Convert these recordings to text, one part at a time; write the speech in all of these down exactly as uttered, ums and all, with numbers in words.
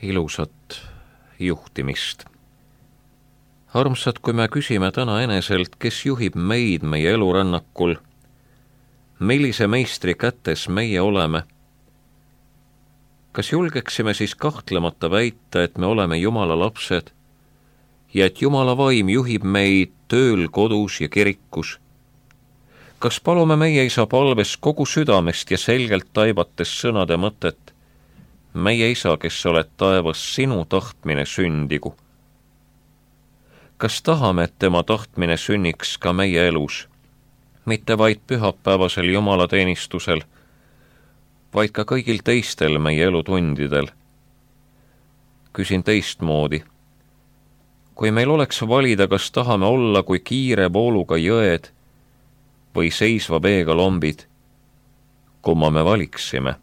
ilusat juhtimist. Armsad, kui me küsime täna eneselt, kes juhib meid meie elurännakul, millise meistri kätes meie oleme, kas julgeksime siis kahtlemata väita, et me oleme Jumala lapsed ja et Jumala vaim juhib meid tööl, kodus ja kirikus? Kas palume meie Isa palves kogu südamest ja selgelt taivates sõnade mõtet: meie Isa, kes oled taevas, sinu tahtmine sündigu? Kas tahame, et tema tahtmine sünniks ka meie elus, mitte vaid pühapäevasel jumalateenistusel, vaid ka kõigil teistel meie elutundidel? Küsin teistmoodi. Kui meil oleks valida, kas tahame olla kui kiire vooluga jõed või seisva veega lombid, kumma me valiksime?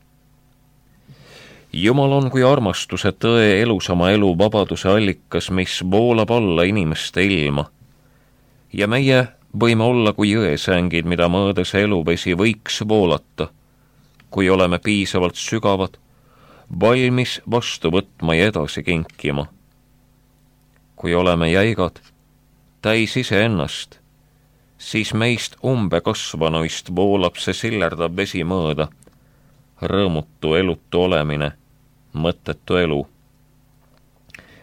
Jumal on kui armastuse, tõe, elusama elu, vabaduse allikas, mis voolab alla inimeste ilma. Ja meie võime olla kui jõesängid, mida mõõdes eluvesi võiks voolata, kui oleme piisavalt sügavad, valmis vastu võtma ja edasi kinkima. Kui oleme jäigad, täis iseennast, siis meist umbekasvanuist voolab see sillerdav vesi mööda, rõõmutu elutu olemine, mõttetu elu.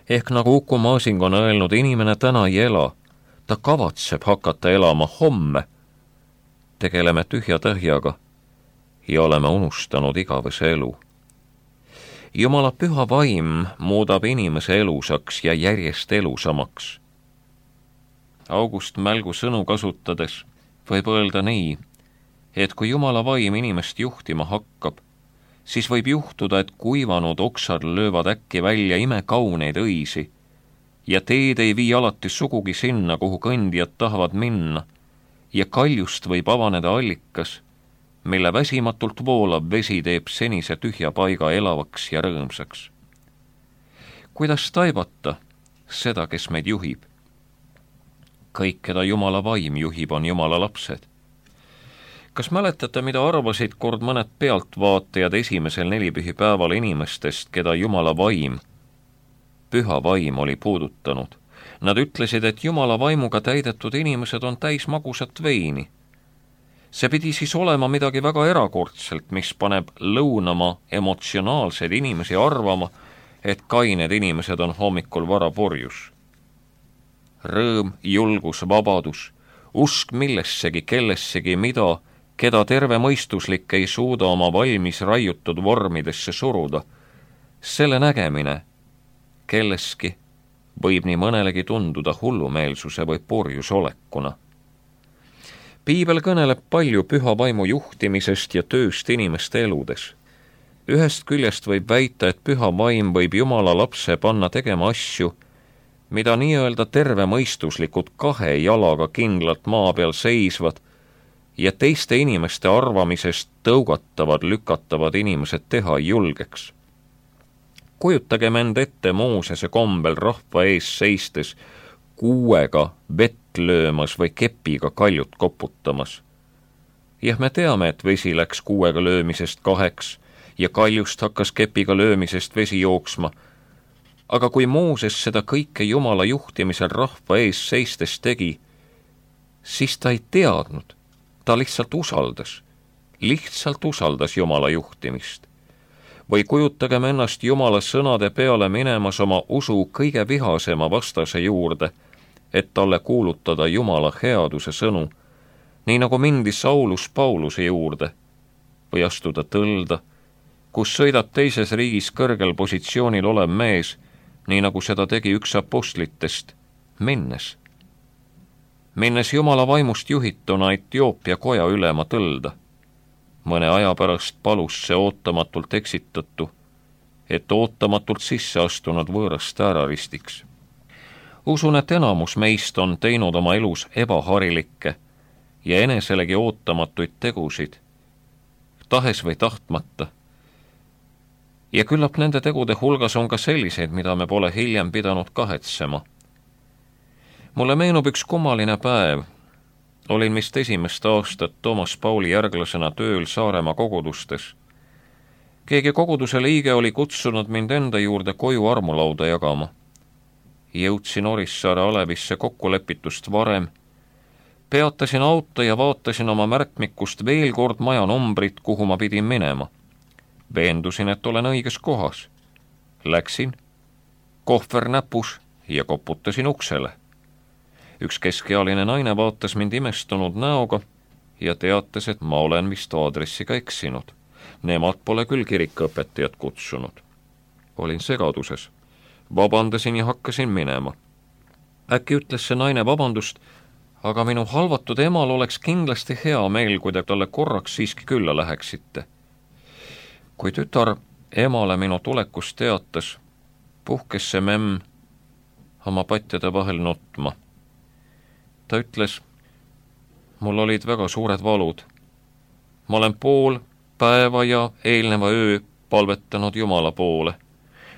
Ehk nagu Uku Masing on öelnud, inimene täna ei ela, ta kavatseb hakata elama homme. Tegeleme tühja tähjaga ja oleme unustanud igavese elu. Jumala püha vaim muudab inimese elusaks ja järjest elusamaks. August Mälgu sõnu kasutades võib öelda nii, et kui Jumala vaim inimest juhtima hakkab, siis võib juhtuda, et kuivanud oksad löövad äkki välja imekauneid õisi ja teed ei vii alati sugugi sinna, kuhu kõndijad tahavad minna, ja kaljust võib avaneda allikas, mille väsimatult voolav vesi teeb senise tühja paiga elavaks ja rõõmsaks. Kuidas taibata seda, kes meid juhib? Kõik, keda Jumala vaim juhib, on Jumala lapsed. Kas mäletate, mida arvasid kord mõned pealtvaatajad esimesel nelipühipäeval inimestest, keda Jumala vaim, püha vaim oli puudutanud? Nad ütlesid, et Jumala vaimuga täidetud inimesed on täis magusat veini. See pidi siis olema midagi väga erakordselt, mis paneb lõunama emotsionaalseid inimesi arvama, et kained inimesed on hommikul vara purjus. Rõõm, julgus, vabadus, usk millessegi, kellessegi, mida, keda terve mõistuslik ei suuda oma valmis raiutud vormidesse suruda, selle nägemine kelleski võib nii mõnelegi tunduda hullumeelsuse või purjusolekuna. Piibel kõneleb palju püha vaimu juhtimisest ja tööst inimeste eludes. Ühest küljest võib väita, et püha vaim võib Jumala lapse panna tegema asju, mida nii-öelda terve mõistuslikud kahe jalaga kindlalt maa peal seisvad ja teiste inimeste arvamisest tõugatavad, lükatavad inimesed teha ei julgeks. Kujutagem end ette Moosese kombel rahva ees seistes, kuuega vett löömas või kepiga kaljut koputamas. Jah, me teame, et vesi läks kuuega löömisest kaheks ja kaljust hakkas kepiga löömisest vesi jooksma, aga kui Mooses seda kõike Jumala juhtimisel rahva ees seistes tegi, siis ta ei teadnud, ta lihtsalt usaldas, lihtsalt usaldas Jumala juhtimist. Või kujutagem ennast Jumala sõnade peale minemas oma usu kõige vihasema vastase juurde, et talle kuulutada Jumala headuse sõnu, nii nagu mindi Saulus Pauluse juurde, või astuda tõlda, kus sõidab teises riigis kõrgel positsioonil olev mees, nii nagu seda tegi üks apostlitest, minnes. Minnes Jumala vaimust juhituna Etioopia koja ülema tõlda. Mõne aja pärast palus see ootamatult eksitatu, et ootamatult sisse astunud võõrast ääraristiks. Usun, et enamus meist on teinud oma elus ebaharilikke ja eneselegi ootamatuid tegusid, tahes või tahtmata. Ja küllap nende tegude hulgas on ka selliseid, mida me pole hiljem pidanud kahetsema. Mulle meenub üks kummaline päev. Olin vist esimest aastat Toomas Pauli järglasena tööl Saaremaa kogudustes keegi koguduse liige oli kutsunud mind enda juurde koju armulauda jagama. Jõudsin Orissaare Alevisse kokkulepitust varem, peatasin auto ja vaatasin oma märkmikust veel kord maja numbrit, kuhu ma pidin minema. Veendusin, et olen õiges kohas. Läksin, kohver näpus ja koputasin uksele. Üks keskealine naine vaatas mind imestunud näoga ja teatas, et ma olen vist aadressiga eksinud. Nemad pole küll kirikuõpetajat kutsunud. Olin segaduses. Vabandasin ja hakkasin minema. Äkki ütles see naine vabandust, aga minu halvatud emal oleks kindlasti hea meel, kui te talle korraks siiski külla läheksite. Kui tütar emale minu tulekust teatas, puhkes see memm oma patjade vahel nutma. Ta ütles, mul olid väga suured valud. Ma olen pool päeva ja eelneva öö palvetanud Jumala poole.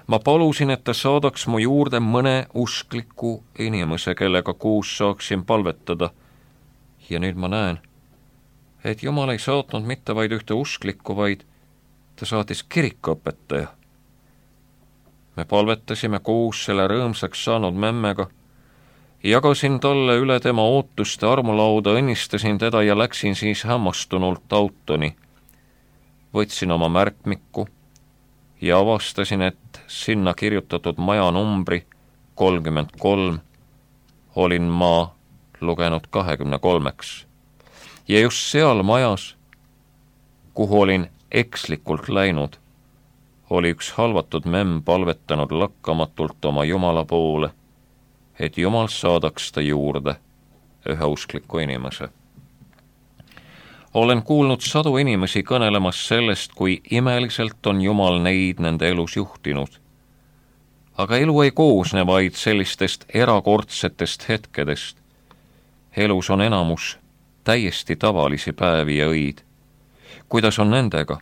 Ma palusin, et ta saadaks mu juurde mõne uskliku inimese, kellega kuus saaksin palvetada. Ja nüüd ma näen, et Jumal ei saatnud mitte vaid ühte usklikku, vaid ta saatis kirikuõpetaja. Me palvetasime kuus selle rõõmsaks saanud memmega, jagasin talle üle tema ootuste armulauda, õnnistasin teda ja läksin siis hämmastunult autoni. Võtsin oma märkmiku ja avastasin, et sinna kirjutatud maja numbri kolmkümmend kolm olin ma lugenud kahekümne kolmeks. Ja just seal majas, kuhu olin ekslikult läinud, oli üks halvatud memm palvetanud lakkamatult oma Jumala poole, et Jumal saadaks ta juurde ühe uskliku inimese. Olen kuulnud sadu inimesi kõnelemas sellest, kui imeliselt on Jumal neid nende elus juhtinud. Aga elu ei koosne vaid sellistest erakordsetest hetkedest. Elus on enamus täiesti tavalisi päevi ja õid. Kuidas on nendega?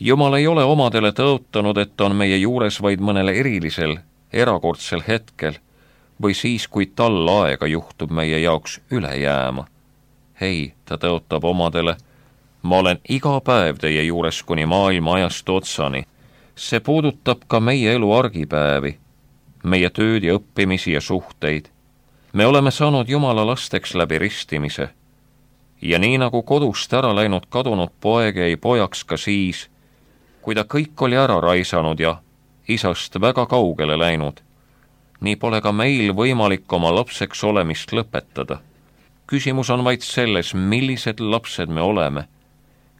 Jumal ei ole omadele tõotanud, et on meie juures vaid mõnel erilisel, erakordsel hetkel või siis, kui tal aega juhtub meie jaoks üle jääma. Hei, ta tõotab omadele, ma olen iga päev teie juures kuni maailma ajastu otsani. See puudutab ka meie elu argipäevi, meie tööd ja õppimisi ja suhteid. Me oleme saanud Jumala lasteks läbi ristimise. Ja nii nagu kodust ära läinud kadunud poeg jäi pojaks ka siis, kui ta kõik oli ära raisanud ja isast väga kaugele läinud, nii pole ka meil võimalik oma lapseks olemist lõpetada. Küsimus on vaid selles, millised lapsed me oleme,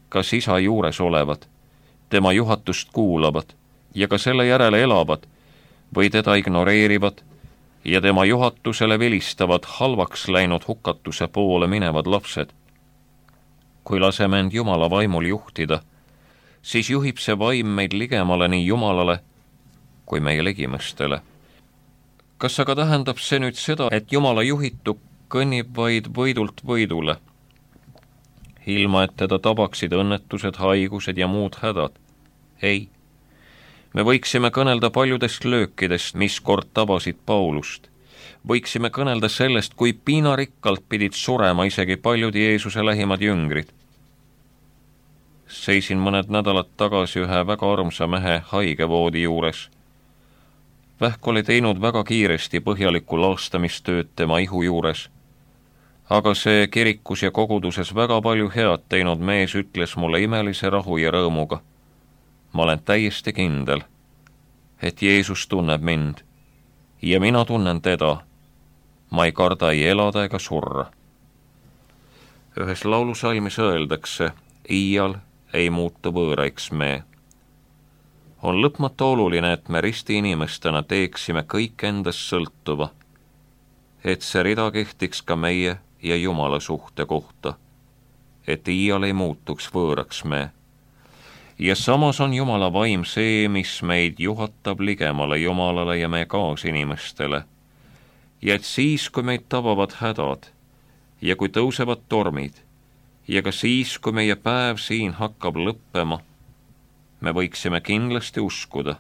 kas isa juures olevad, tema juhatust kuulavad ja ka selle järele elavad või teda ignoreerivad ja tema juhatusele vilistavad halvaks läinud hukatuse poole minevad lapsed. Kui laseme end Jumala vaimul juhtida, siis juhib see vaim meid ligemale nii Jumalale kui meie ligimestele. Kas aga tähendab see nüüd seda, et Jumala juhitu kõnnib vaid võidult võidule, ilma et teda tabaksid õnnetused, haigused ja muud hädad? Ei. Me võiksime kõnelda paljudest löökidest, mis kord tabasid Paulust. Võiksime kõnelda sellest, kui piinarikkalt pidid surema isegi paljud Jeesuse lähimad jüngrid. Seisin mõned nädalad tagasi ühe väga armsa mehe haigevoodi juures. Vähk oli teinud väga kiiresti põhjalikku laastamistööd tema ihu juures. Aga see kirikus ja koguduses väga palju head teinud mees ütles mulle imelise rahu ja rõõmuga. Ma olen täiesti kindel, et Jeesus tunneb mind ja mina tunnen teda. Ma ei karda ei elada ega surra. Ühes laulusalmis öeldakse, iial ei muutu võõraiks me. On lõpmata oluline, et me risti inimestena teeksime kõik endast sõltuva, et see rida kehtiks ka meie ja Jumala suhte kohta, et iial ei muutuks võõraks me. Ja samas on Jumala vaim see, mis meid juhatab ligemale Jumalale ja meie kaasinimestele. Ja et siis, kui meid tabavad hädad ja kui tõusevad tormid ja ka siis, kui meie päev siin hakkab lõppema, me võiksime kindlasti uskuda,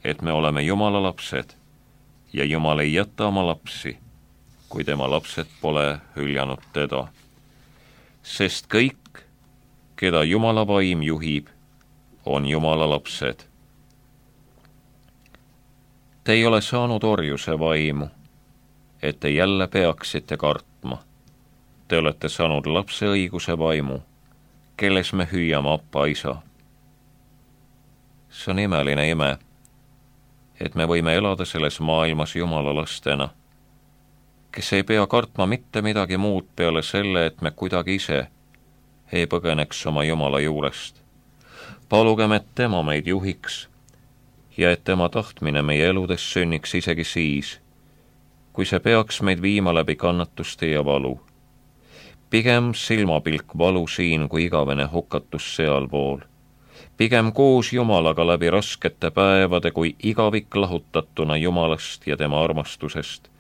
et me oleme Jumala lapsed ja Jumal ei jäta oma lapsi, kui tema lapsed pole hüljanud teda. Sest kõik, keda Jumala vaim juhib, on Jumala lapsed. Te ei ole saanud orjuse vaimu, et te jälle peaksite kartma. Te olete saanud lapse õiguse vaimu, kelles me hüüame Appa isa. See on imeline ime, et me võime elada selles maailmas Jumala lastena, kes ei pea kartma mitte midagi muud peale selle, et me kuidagi ise ei põgeneks oma Jumala juurest. Palugem, et tema meid juhiks ja et tema tahtmine meie eludes sünniks isegi siis, kui see peaks meid viima läbi kannatuste ja valu. Pigem silmapilk valu siin kui igavene hukatus sealpool. Pigem koos Jumalaga läbi raskete päevade kui igavik lahutatuna Jumalast ja tema armastusest.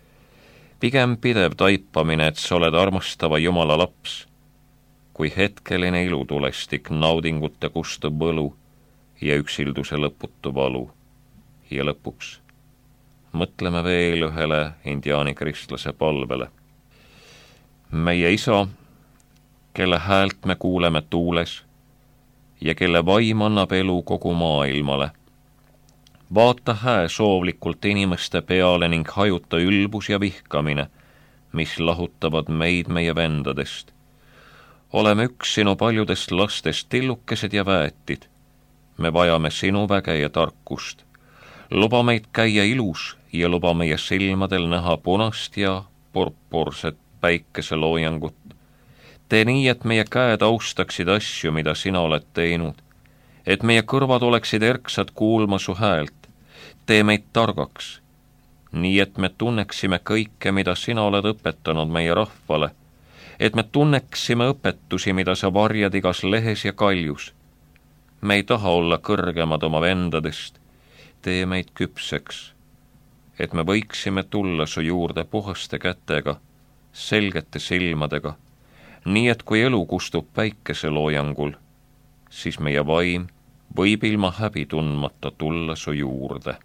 Pigem pidev taipamine, et sa oled armastava Jumala laps, kui hetkeline ilutulestik naudingute kustuv võlu ja üksilduse lõputu valu. Ja lõpuks mõtleme veel ühele indiaani kristlase palvele. Meie isa, kelle häält me kuuleme tuules ja kelle vaim annab elu kogu maailmale. Vaata hää soovlikult inimeste peale ning hajuta ülbus ja vihkamine, mis lahutavad meid meie vendadest. Oleme üks sinu paljudest lastest tillukesed ja väetid. Me vajame sinu väge ja tarkust. Luba meid käia ilus ja luba meie silmadel näha punast ja purpurset päikeseloojangut. Tee nii, et meie käed austaksid asju, mida sina oled teinud, et meie kõrvad oleksid erksad kuulma su häält. Tee meid targaks, nii et me tunneksime kõike, mida sina oled õpetanud meie rahvale, et me tunneksime õpetusi, mida sa varjad igas lehes ja kaljus. Me ei taha olla kõrgemad oma vendadest, tee meid küpseks, et me võiksime tulla su juurde puhaste kätega, selgete silmadega, nii et kui elu kustub päikeseloojangul, siis meie vaim võib ilma häbi tundmata tulla su juurde.